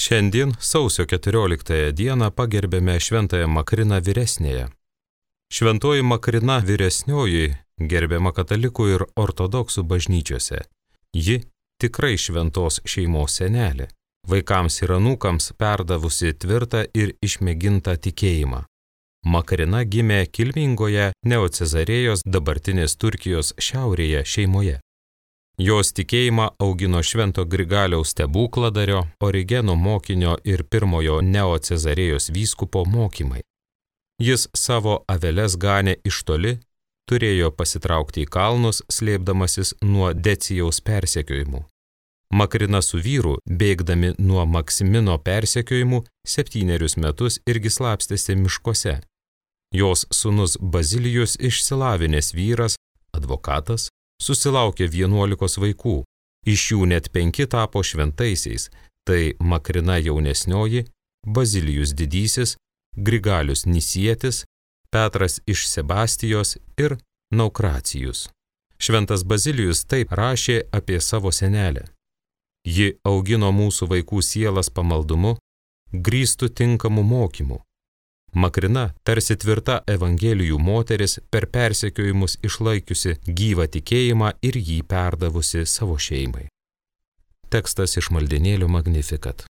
Šiandien, sausio 14 dieną, pagerbėme Šventąją Makriną vyresnėje. Šventoji Makrina vyresnioji gerbiama katalikų ir ortodoksų bažnyčiose. Ji tikrai šventos šeimos senelė, vaikams ir anūkams perdavusi tvirtą ir išmėgintą tikėjimą. Makrina gimė kilmingoje Neocezarėjos dabartinės Turkijos šiaurėje šeimoje. Jos tikėjimą augino Švento Grigaliaus stebukladario, Origeno mokinio ir pirmojo Neocezarėjos vyskupo mokymai. Jis savo aveles ganė iš toli, turėjo pasitraukti į kalnus, slėpdamasis nuo Decijaus persekiojimų. Makrina su vyru, bėgdami nuo Maksimino persekiojimų, 7 metus irgi slapstėsi miškuose. Jos sūnus Bazilijus, išsilavinęs vyras, advokatas, susilaukė 11 vaikų, iš jų net 5 tapo šventaisiais, tai Makrina jaunesnioji, Bazilijus didysis, Grigalius Nisietis, Petras iš Sebastijos ir Naukracijus. Šventas Bazilijus taip rašė apie savo senelę. Ji augino mūsų vaikų sielas pamaldumu, grįstų tinkamu mokymu. Makrina, tarsi tvirta evangelijų moteris, per persekiojimus išlaikiusi gyvą tikėjimą ir jį perdavusi savo šeimai. Tekstas iš maldynėlio Magnificat.